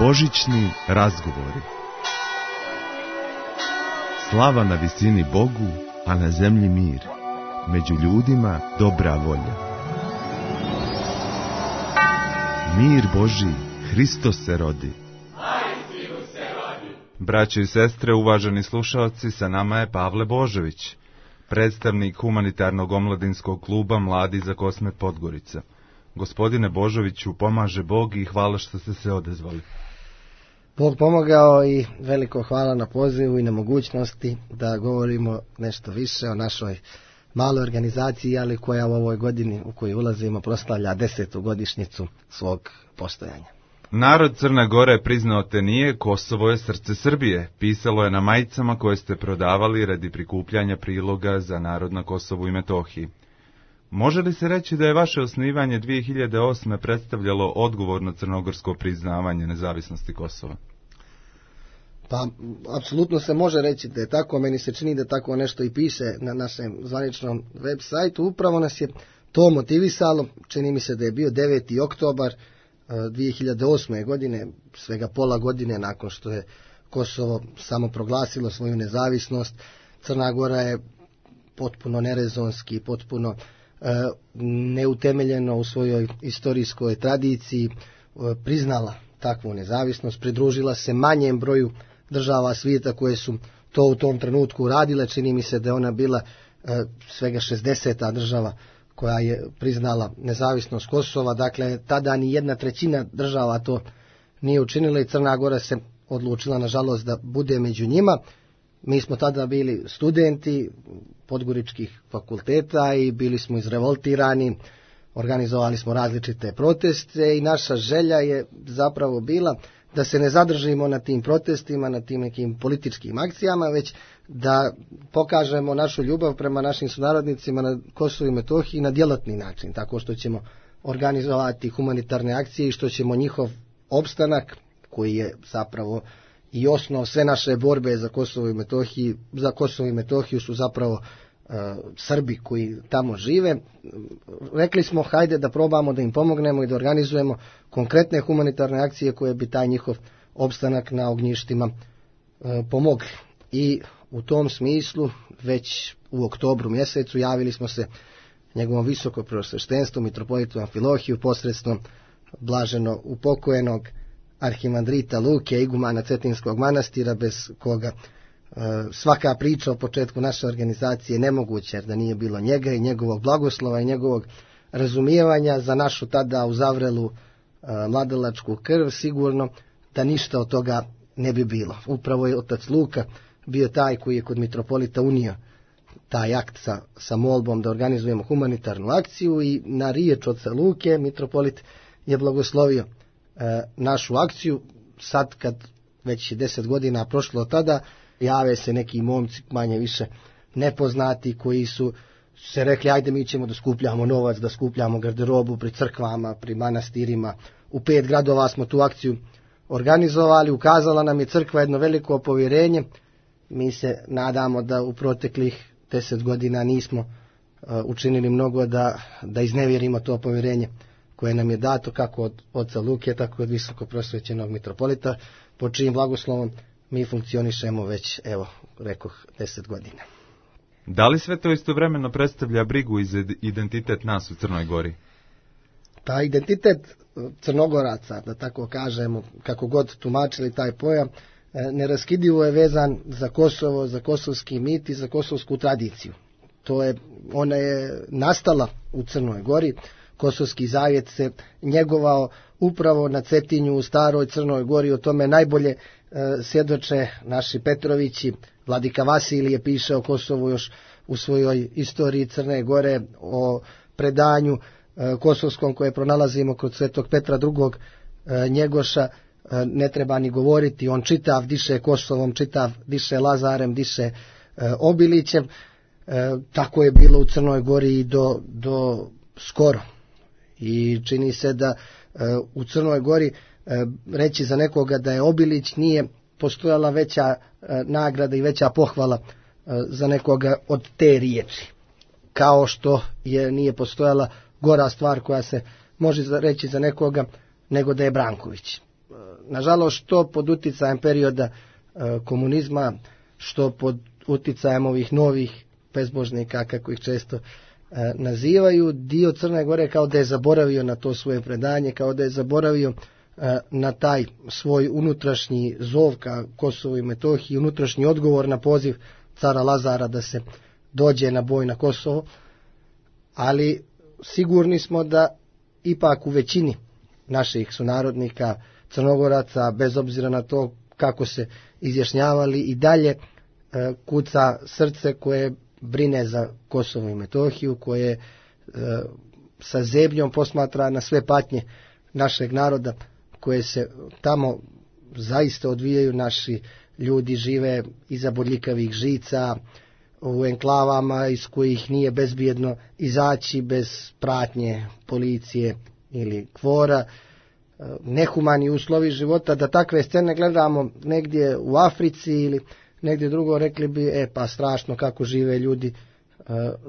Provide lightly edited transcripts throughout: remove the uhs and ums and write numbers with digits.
Božićni razgovori. Slava na visini Bogu, a na zemlji mir. Među ljudima dobra volja. Mir Božji, Hristos se rodi. Braćo i sestre, uvaženi slušalci, sa nama je Pavle Božović, predstavnik humanitarnog omladinskog kluba Mladi za Kosmet Podgorica. Gospodine Božoviću, pomaže Bog i hvala što ste se odezvali. Bog pomogao i veliko hvala na pozivu i na mogućnosti da govorimo nešto više o našoj maloj organizaciji, ali koja u ovoj godini u koju ulazimo proslavlja 10. godišnjicu svog postojanja. Narod Crne Gore priznao te nije, Kosovo je srce Srbije. Pisalo je na majicama koje ste prodavali radi prikupljanja priloga za narod na Kosovu i Metohiji. Može li se reći da je vaše osnivanje 2008. predstavljalo odgovorno crnogorsko priznavanje nezavisnosti Kosova? Pa, apsolutno se može reći da je tako. Meni se čini da tako nešto i piše na našem zvaničnom web sajtu. Upravo nas je to motivisalo. Čini mi se da je bio 9. oktobar 2008. godine, svega pola godine nakon što je Kosovo samo proglasilo svoju nezavisnost. Crna Gora je potpuno nerezonski, potpuno neutemeljeno u svojoj istorijskoj tradiciji priznala takvu nezavisnost, pridružila se manjem broju država svijeta koje su to u tom trenutku uradile. Čini mi se da je ona bila svega 60. država koja je priznala nezavisnost Kosova. Dakle, tada ni 1/3 država to nije učinila i Crna Gora se odlučila, nažalost, da bude među njima. Mi smo tada bili studenti podgoričkih fakulteta i bili smo izrevoltirani, organizovali smo različite proteste i naša želja je zapravo bila da se ne zadržimo na tim protestima, na tim nekim političkim akcijama, već da pokažemo našu ljubav prema našim sunarodnicima na Kosovu i Metohiji na djelatni način, tako što ćemo organizovati humanitarne akcije i što ćemo njihov opstanak, koji je zapravo i osnov sve naše borbe za Kosovo i Metohiju su zapravo Srbi koji tamo žive. Rekli smo, hajde da probamo da im pomognemo i da organizujemo konkretne humanitarne akcije koje bi taj njihov opstanak na ognjištima pomogli. I u tom smislu već u oktobru mjesecu javili smo se njegovom visoko preosveštenstvu mitropolitu Amfilohiju posredstvom blaženo upokojenog arhimandrita Luke, igumana Cetinskog manastira, bez koga svaka priča o početku naše organizacije je nemoguća, jer da nije bilo njega i njegovog blagoslova i njegovog razumijevanja za našu tada uzavrelu mladalačku krv, sigurno da ništa od toga ne bi bilo. Upravo je otac Luka bio taj koji je kod mitropolita unio taj akt sa molbom da organizujemo humanitarnu akciju i na riječ oca Luke mitropolit je blagoslovio našu akciju. Sad kad već 10 godina prošlo od tada, jave se neki momci manje više nepoznati koji su se rekli, ajde mi ćemo da skupljamo novac, da skupljamo garderobu pri crkvama, pri manastirima. U 5 gradova smo tu akciju organizovali, ukazala nam je crkva jedno veliko povjerenje. Mi se nadamo da u proteklih 10 godina nismo učinili mnogo da iznevjerimo to povjerenje koje nam je dato kako od oca Luke, tako od visoko prosvećenog mitropolita, po čijim blagoslovom mi funkcionišemo već, evo, rekoh, 10 godina. Da li sve to istovremeno predstavlja brigu i za identitet nas u Crnoj Gori? Pa identitet Crnogoraca, da tako kažemo, kako god tumačili taj pojam, neraskidivo je vezan za Kosovo, za kosovski mit i za kosovsku tradiciju. Ona je nastala u Crnoj Gori. Kosovski zavjet se njegovao upravo na Cetinju u staroj Crnoj Gori. O tome najbolje svjedoče naši Petrovići. Vladika Vasilije piše o Kosovu još u svojoj istoriji Crne Gore, o predanju kosovskom koje pronalazimo kod Svetog Petra II. Njegoša. Ne treba ni govoriti, on čitav diše Kosovom, čitav diše Lazarem, diše Obilićem. Tako je bilo u Crnoj Gori i do skoro. I čini se da u Crnoj Gori reći za nekoga da je Obilić nije postojala veća nagrada i veća pohvala za nekoga od te riječi. Kao što nije postojala gora stvar koja se može reći za nekoga nego da je Branković. nažalost, što pod uticajem perioda komunizma, što pod uticajem ovih novih bezbožnika, kako ih često nazivaju, dio Crne Gore kao da je zaboravio na to svoje predanje, kao da je zaboravio na taj svoj unutrašnji zov ka Kosovu i Metohiji, unutrašnji odgovor na poziv cara Lazara da se dođe na boj na Kosovo, ali sigurni smo da ipak u većini naših sunarodnika Crnogoraca, bez obzira na to kako se izjašnjavali, i dalje kuca srce koje brine za Kosovo i Metohiju, koje sa zebnjom posmatra na sve patnje našeg naroda koje se tamo zaista odvijaju. Naši ljudi žive iza bodljikavih žica, u enklavama iz kojih nije bezbjedno izaći bez pratnje policije ili kvora, nehumani uslovi života. Da takve scene gledamo negdje u Africi ili negdje drugo, rekli bi, pa strašno kako žive ljudi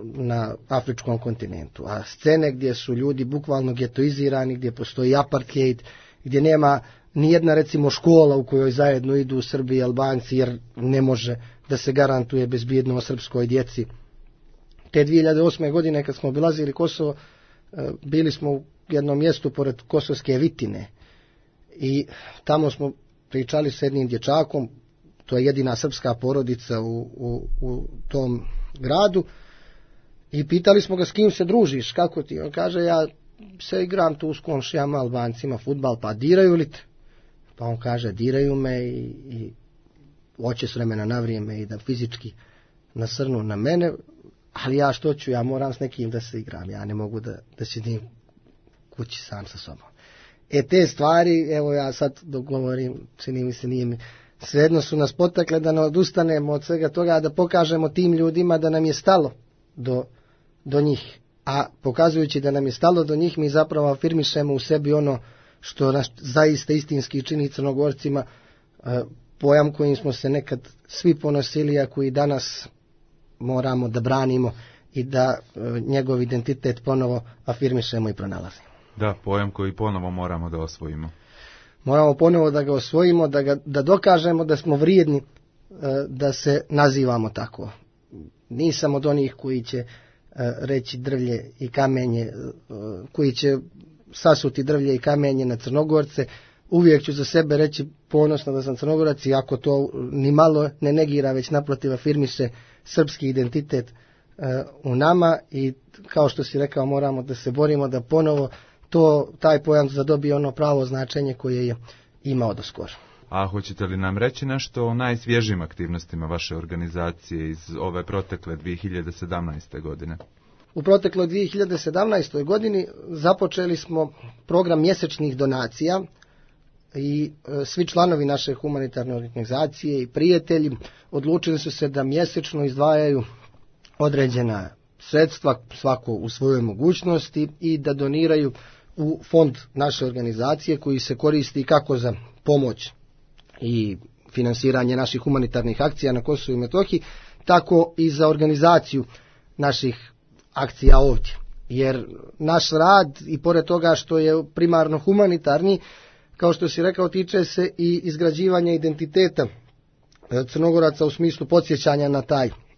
na afričkom kontinentu. A scene gdje su ljudi bukvalno getoizirani, gdje postoji apartheid, gdje nema nijedna recimo škola u kojoj zajedno idu Srbi i Albanci, jer ne može da se garantuje bezbjednost srpskoj djeci. Te 2008. godine kad smo obilazili Kosovo, bili smo u jednom mjestu pored Kosovske Vitine i tamo smo pričali s jednim dječakom, to je jedina srpska porodica u tom gradu, i pitali smo ga s kim se družiš, kako ti? On kaže, ja se igram tu s komšijama Albancima fudbal, pa diraju li te? Pa on kaže, diraju me i hoće s vremena na vrijeme i da fizički nasrnu na mene, ali ja što ću, ja moram s nekim da se igram, ja ne mogu da sidim kući sam sa sobom. Te stvari, evo ja sad dok govorim, čini mi se, nije mi svejedno, su nas potakle da ne odustanemo od svega toga, da pokažemo tim ljudima da nam je stalo do njih. A pokazujući da nam je stalo do njih, mi zapravo afirmišemo u sebi ono što nas zaista istinski čini Crnogorcima, pojam kojim smo se nekad svi ponosili, a koji danas moramo da branimo i da njegov identitet ponovo afirmišemo i pronalazimo. Da, pojam koji ponovo moramo da osvojimo. Moramo ponovo da ga osvojimo, da dokažemo da smo vrijedni da se nazivamo tako. Nisam od onih koji će reći drvlje i kamenje, koji će sasuti drvlje i kamenje na Crnogorce. Uvijek ću za sebe reći ponosno da sam Crnogorac, i ako to ni malo ne negira, već naprotiv afirmiše srpski identitet u nama, i kao što si rekao, moramo da se borimo da ponovo taj pojam zadobije ono pravo značenje koje je imao do skoro. A hoćete li nam reći nešto o najsvježijim aktivnostima vaše organizacije iz ove protekle 2017. godine? U protekloj 2017. godini započeli smo program mjesečnih donacija i svi članovi naše humanitarne organizacije i prijatelji odlučili su se da mjesečno izdvajaju određena sredstva, svako u svojoj mogućnosti, i da doniraju u fond naše organizacije koji se koristi kako za pomoć i finansiranje naših humanitarnih akcija na Kosovu i Metohiji, tako i za organizaciju naših akcija ovdje. Jer naš rad, i pored toga što je primarno humanitarni, kao što si rekao, tiče se i izgrađivanja identiteta Crnogoraca u smislu podsjećanja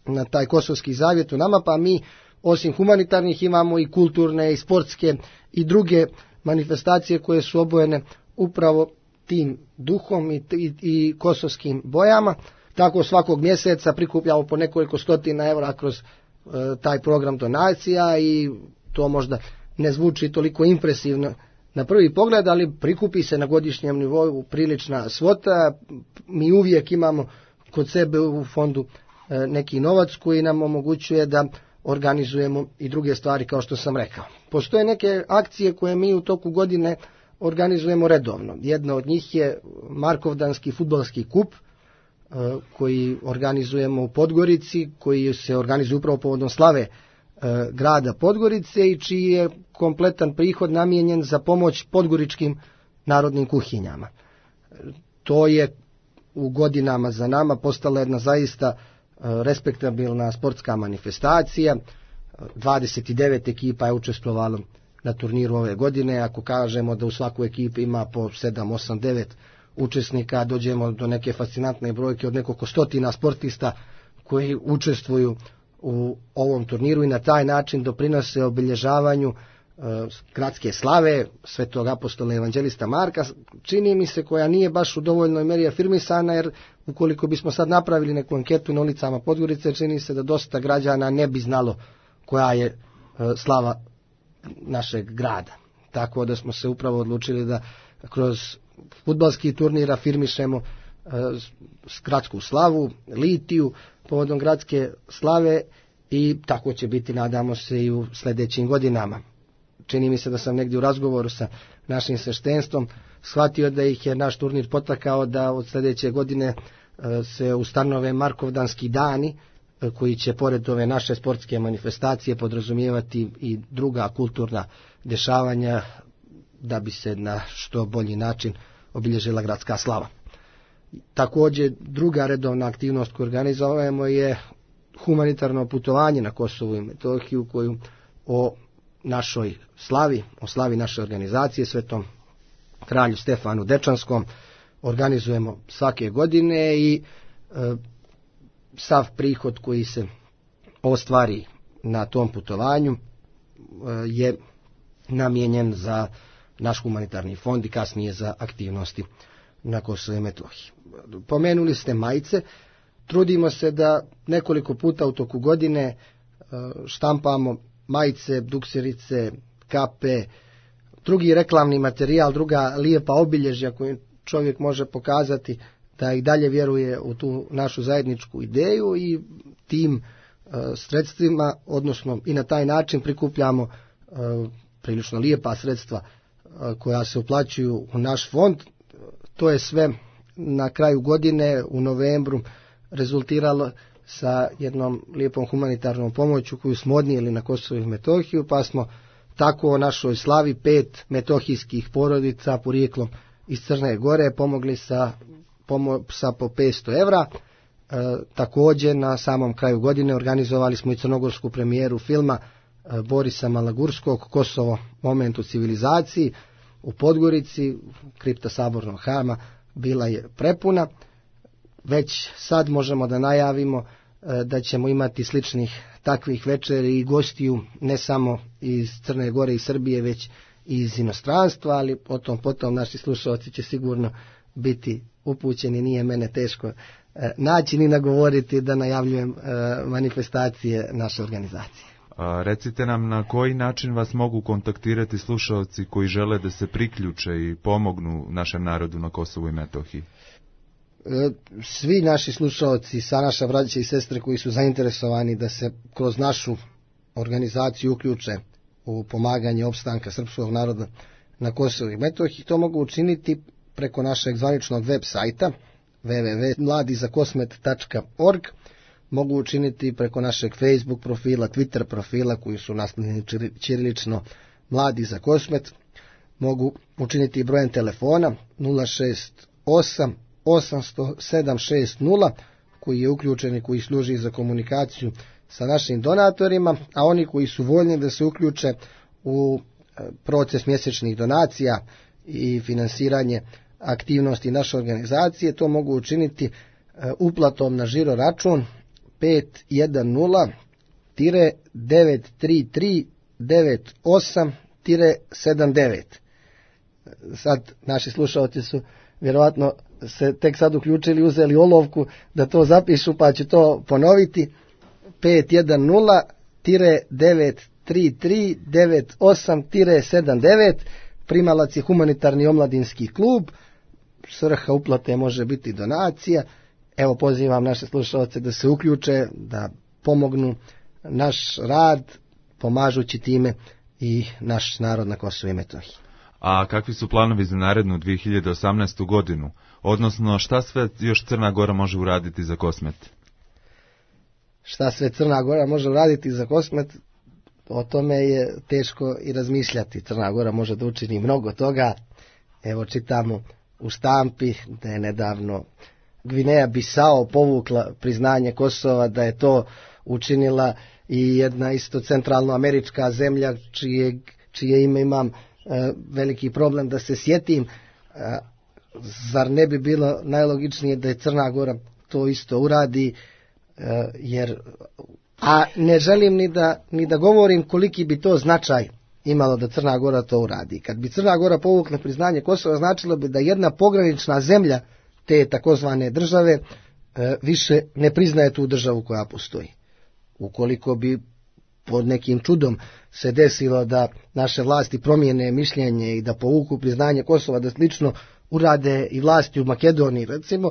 na taj kosovski zavjet u nama, pa mi osim humanitarnih imamo i kulturne i sportske i druge manifestacije koje su obojene upravo tim duhom i kosovskim bojama. Tako svakog mjeseca prikupljamo po nekoliko stotina evra kroz taj program donacija, i to možda ne zvuči toliko impresivno na prvi pogled, ali prikupi se na godišnjem nivou prilična svota. Mi uvijek imamo kod sebe u fondu neki novac koji nam omogućuje da organizujemo i druge stvari, kao što sam rekao. Postoje neke akcije koje mi u toku godine organizujemo redovno. Jedna od njih je Markovdanski fudbalski kup koji organizujemo u Podgorici, koji se organizuje upravo povodom slave grada Podgorice i čiji je kompletan prihod namijenjen za pomoć podgoričkim narodnim kuhinjama. To je u godinama za nama postala jedna zaista respektabilna sportska manifestacija. 29 ekipa je učestvovalo na turniru ove godine. Ako kažemo da u svakoj ekipi ima po 7, 8, 9 učesnika, dođemo do neke fascinantne brojke od nekoliko stotina sportista koji učestvuju u ovom turniru i na taj način doprinose obilježavanju gradske slave Svetog apostola evanđelista Marka, čini mi se koja nije baš u dovoljnoj meri afirmisana, jer ukoliko bismo sad napravili neku anketu na ulicama Podgorice, čini se da dosta građana ne bi znalo koja je slava našeg grada. Tako da smo se upravo odlučili da kroz fudbalski turnir afirmišemo gradsku slavu, litiju povodom gradske slave i tako će biti, nadamo se, i u sljedećim godinama. Čini mi se da sam negdje u razgovoru sa našim sveštenstvom shvatio da ih je naš turnir potakao da od sljedeće godine se ustanove Markovdanski dani, koji će pored ove naše sportske manifestacije podrazumijevati i druga kulturna dešavanja da bi se na što bolji način obilježila gradska slava. Također druga redovna aktivnost koju organizujemo je humanitarno putovanje na Kosovu i Metohiju, koju o našoj slavi, o slavi naše organizacije Svetom kralju Stefanu Dečanskom organizujemo svake godine i sav prihod koji se ostvari na tom putovanju je namijenjen za naš humanitarni fond i kasnije za aktivnosti na Kosovu i Metohiji. Pomenuli ste majice. Trudimo se da nekoliko puta u toku godine štampamo majice, dukserice, kape, drugi reklamni materijal, druga lijepa obilježja koju čovjek može pokazati da i dalje vjeruje u tu našu zajedničku ideju i tim sredstvima, odnosno i na taj način prikupljamo prilično lijepa sredstva koja se uplaćuju u naš fond. To je sve na kraju godine u novembru rezultiralo sa jednom lijepom humanitarnom pomoću koju smo odnijeli na Kosovo i Metohiju, pa smo tako o našoj slavi 5 metohijskih porodica porijeklom iz Crne Gore pomogli sa po 500 evra. Također na samom kraju godine organizovali smo i crnogorsku premijeru filma Borisa Malagurskog Kosovo, moment u civilizaciji u Podgorici. Kripta Sabornog hrama bila je prepuna. Već sad možemo da najavimo da ćemo imati sličnih takvih večeri i gostiju ne samo iz Crne Gore i Srbije, već i iz inostranstva, ali potom naši slušalci će sigurno biti upućeni, nije mene teško naći ni nagovoriti da najavljujem manifestacije naše organizacije. Recite nam na koji način vas mogu kontaktirati slušalci koji žele da se priključe i pomognu našem narodu na Kosovu i Metohiji? Svi naši slušalci, sa naša braća i sestre koji su zainteresovani da se kroz našu organizaciju uključe u pomaganje opstanka srpskog naroda na Kosovu i Metohiji, to mogu učiniti preko našeg zvaničnog web sajta www.mladizakosmet.org, mogu učiniti preko našeg Facebook profila, Twitter profila koji su naslovljeni ćirilično Mladi za Kosmet, mogu učiniti brojem telefona 068 800 760 koji je uključen i koji služi za komunikaciju sa našim donatorima, a oni koji su voljni da se uključe u proces mjesečnih donacija i finansiranje aktivnosti naše organizacije, to mogu učiniti uplatom na žiro račun 510-933-98-79. Sad naši slušalci su vjerojatno se tek sad uključili, uzeli olovku da to zapišu, pa ću to ponoviti. 510-933-98-79. Primalac je humanitarni omladinski klub. Svrha uplate može biti donacija. Evo, pozivam naše slušalce da se uključe, da pomognu naš rad, pomažući time i naš narod na Kosovu i Metohiji. A kakvi su planovi za narednu 2018. godinu? Odnosno, šta sve još Crna Gora može uraditi za Kosmet? Šta sve Crna Gora može uraditi za Kosmet? O tome je teško i razmišljati. Crna Gora može da učini mnogo toga. Evo, čitamo u štampi da je nedavno Gvineja Bisao povukla priznanje Kosova, da je to učinila i jedna isto centralnoamerička zemlja čije ime imam veliki problem da se sjetim, zar ne bi bilo najlogičnije da je Crna Gora to isto uradi, a ne želim ni da govorim koliki bi to značaj imalo da Crna Gora to uradi. Kad bi Crna Gora povukla priznanje Kosova, značilo bi da jedna pogranična zemlja te takozvane države više ne priznaje tu državu koja postoji. Ukoliko bi pod nekim čudom se desilo da naše vlasti promijene mišljenje i da povuku priznanje Kosova, da slično urade i vlasti u Makedoniji, recimo,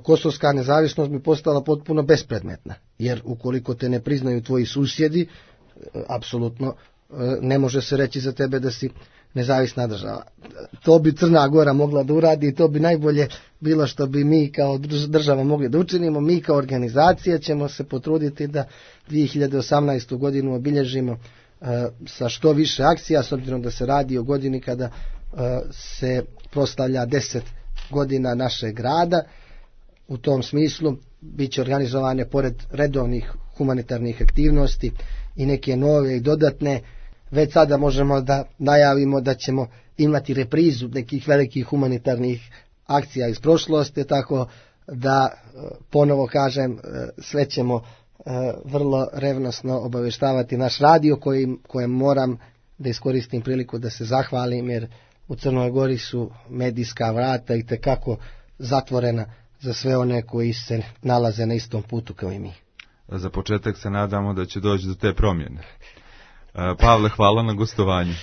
kosovska nezavisnost bi postala potpuno bespredmetna, jer ukoliko te ne priznaju tvoji susjedi, apsolutno ne može se reći za tebe da si nezavisna država. To bi Crna Gora mogla da uradi i to bi najbolje bilo što bi mi kao država mogli da učinimo. Mi kao organizacija ćemo se potruditi da 2018. godinu obilježimo sa što više akcija, s obzirom da se radi o godini kada se proslavlja 10 godina našeg rada. U tom smislu bit će organizovane pored redovnih humanitarnih aktivnosti i neke nove i dodatne. Već sada možemo da najavimo da ćemo imati reprizu nekih velikih humanitarnih akcija iz prošlosti, tako da ponovo kažem, sve ćemo vrlo revnosno obavještavati naš radio kojem moram da iskoristim priliku da se zahvalim, jer u Crnoj Gori su medijska vrata i tekako zatvorena za sve one koji se nalaze na istom putu kao i mi. Za početak se nadamo da će doći do te promjene. Pavle, hvala na gostovanju.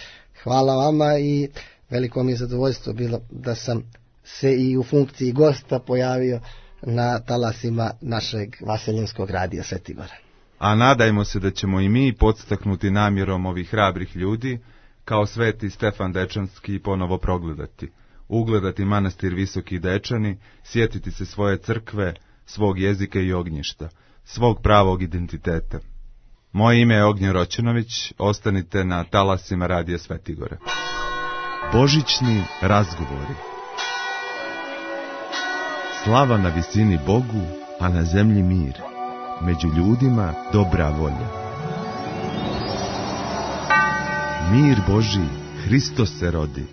Hvala vama i veliko mi je zadovoljstvo bilo da sam se i u funkciji gosta pojavio na talasima našeg vaseljenskog radija Svetigora. A nadajmo se da ćemo i mi podstaknuti namjerom ovih hrabrih ljudi, kao Sveti Stefan Dečanski, ponovo progledati, ugledati manastir Visoki Dečani, sjetiti se svoje crkve, svog jezika i ognjišta, svog pravog identiteta. Moje ime je Ognjen Roćenović, ostanite na talasima radija Svetigora. Božićni razgovori. Slava na visini Bogu, a na zemlji mir. Među ljudima dobra volja. Mir Božji, Hristos se rodi.